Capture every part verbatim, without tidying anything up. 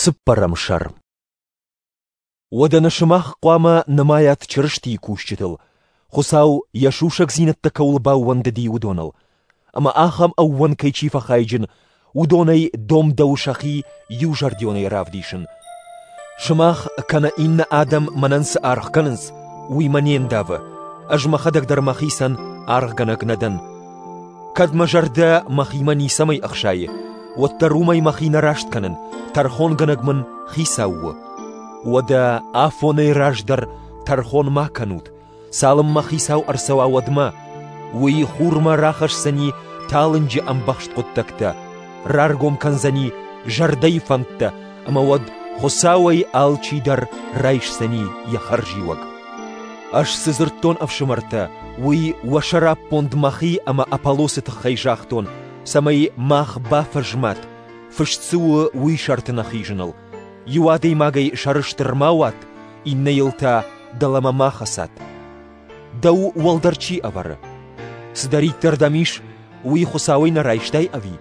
Цыппӕрӕм сӕр. Уӕдӕ нӕ сымах хъуамӕ нымайат Чырыстийы кусджытыл, Хуыцау йӕ сусӕгдзинӕдтӕ кӕуыл баууӕндыди, уыдоныл. Ӕмӕ ахӕм ӕууӕнкӕй чи фӕхайджын, уыдонӕй домдӕуы сӕхи иузӕрдионӕй равдисын. Сымах кӕнӕ иннӕ адӕм мӕнӕн цы аргъ кӕнынц, уый мӕ не ндавы. Ӕз мӕхӕдӕг дӕр мӕхицӕн аргъгӕнӕг нӕ дӕн. Кӕд мӕ зӕрдӕ мӕхимӕ ницӕмӕй ӕхсайы, уӕддӕр уымӕй мӕхи нӕ раст кӕнын, тӕрхонгӕнӕг мын Хицау у. Уӕдӕ афонӕй раздӕр тӕрхон ма кӕнут, цалынмӕ Хицау ӕрцӕуа, уӕдмӕ. Уый хурмӕ рахӕсдзӕни талынджы ӕмбӕхст хъуыддӕгтӕ, раргом кӕндзӕни зӕрдӕйы фӕндтӕ, ӕмӕ уӕд Хуыцауӕй алчидӕр райсдзӕни йӕ хӕрзиуӕг. Ӕз цы дзырдтон, ӕфсымӕртӕ, уый уӕ сӕраппонд мӕхи ӕмӕ Аполлосы тыххӕй загътон, цӕмӕй мах бафӕзмат, фыст цы у, уый сӕрты нӕ хизыныл. Иу адӕймагӕй сӕрыстыр ма уат, иннӕйыл та дӕлӕмӕ ма хӕцат. Дӕу уӕлдӕр чи ӕвӕры? Цыдӕриддӕр дӕм ис, уый Хуыцауӕй нӕ райстай ӕви?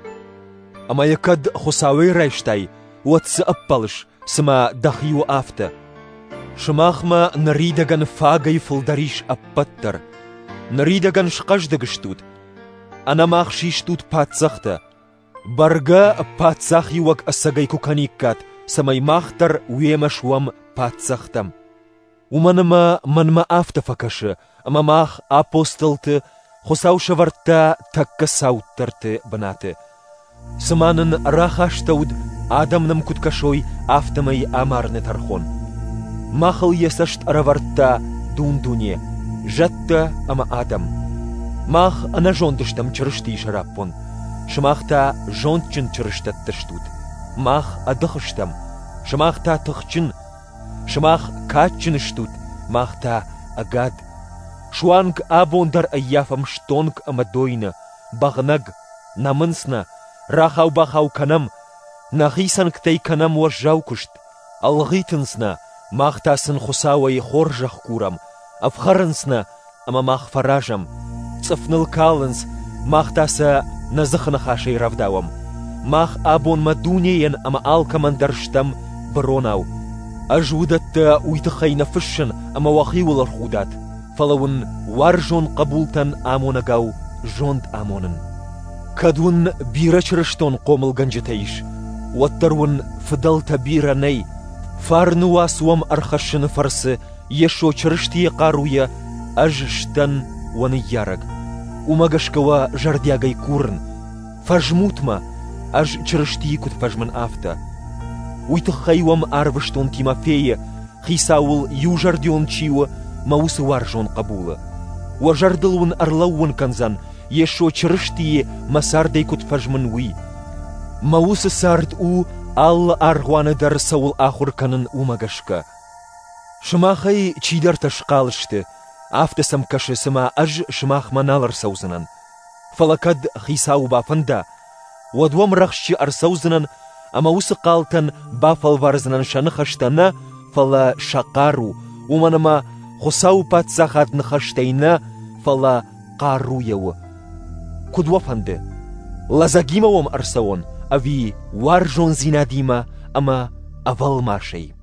Ӕмӕ йӕ кӕд Хуыцауӕй райстай, уӕд цы ӕппӕлыс, цыма дӕхи у афтӕ? Сымахмӕ ныридӕгӕн фагӕй фылдӕр ис ӕппӕт дӕр. Ныридӕгӕн схъӕздыг стут, ӕнӕмах систут паддзӕхтӕ. Бӕргӕ паддзахиуӕг ӕцӕгӕй куы кӕниккат, цӕмӕй мах дӕр уемӕ суӕм паддзӕхтӕм. Уымӕн ӕмӕ мӕнмӕ афтӕ фӕкӕсы, ӕмӕ мах, апостолты, Хуыцау сӕвӕрдта тӕккӕ цауддӕрты бынаты. Цыма нын рахастӕуыд, адӕм нӕм куыд кӕсой, афтӕмӕй амарыны тӕрхон. Махыл йӕ цӕст ӕрӕвӕрдта дун-дуне, зӕдтӕ ӕмӕ адӕм. Мах ӕнӕзонд стӕм Чырыстийы сӕраппонд, сымах та зондджын чырыстӕттӕ стут. Мах ӕдых стӕм, сымах та тыхджын. Сымах кадджын стут, мах та ӕгад. Суанг абон дӕр ӕййафӕм стонг ӕмӕ дойны, бӕгънӕг, нӕмынц нӕ, рахау-бахау кӕнӕм, нӕхи цӕнгтӕй кӕнӕм уӕззау куыст, ӕлгъитынц нӕ, мах та сын Хуыцауӕй хорзӕх курӕм, ӕфхӕрынц нӕ, ӕмӕ мах фӕразӕм, цъыф ныл калынц, мах та сӕ нӕ дзыхы ныхасӕй рӕвдауӕм. Мах абонмӕ дунейӕн ӕмӕ алкӕмӕн дӕр стӕм быронау. Ӕз уыдӕттӕ уый тыххӕй нӕ фыссын, ӕмӕ уӕхиуыл ӕрхудат, фӕлӕ уын уарзон хъӕбултӕн амонӕгау зонд амонын. Кӕд уын бирӕ чырыстон хъомылгӕнджытӕ ис, уӕддӕр уын фыдӕлтӕ бирӕ нӕй. Фарны уац уӕм ӕрхӕссыны фӕрцы Йесо Чырыстийы хъаруйӕ ӕз сдӕн уӕ ныййарӕг. Уымӕ гӕсгӕ уӕ зӕрдиагӕй курын, фӕзмут мӕ, ӕз Чырыстийы куыд фӕзмын, афтӕ. Уый тыххӕй уӕм арвыстон Тимофейы, Хицауыл иузӕрдион чи у, мӕ уыцы уарзон хъӕбулы. Уӕ зӕрдыл уын ӕрлӕууын кӕндзӕн, Йесо Чырыстийы мӕ цардӕй куыд фӕзмын, уый. Мӕ уыцы цард у, алы аргъуаны дӕр цӕуыл ахуыр кӕнын, уымӕ гӕсгӕ. Сымахӕй чидӕртӕ схъал сты, афтӕ сӕм кӕсы, цыма ӕз сымахмӕ нал ӕрцӕудзынӕн. Фӕлӕ кӕд Хицауы бафӕнда, уӕд уӕм рӕхджы ӕрцӕудзынӕн ӕмӕ уыцы хъалтӕн бафӕлвардзынӕн сӕ ныхӕстӕ нӕ, фӕлӕ сӕ хъару, уымӕн ӕмӕ Хуыцауы паддзахад ныхӕстӕй нӕ, фӕлӕ хъаруйӕ у. Куыд уӕ фӕнды, лӕдзӕгимӕ уӕм ӕрцӕуон ӕви уарзондзинадимӕ ӕмӕ ӕвӕлмасӕй?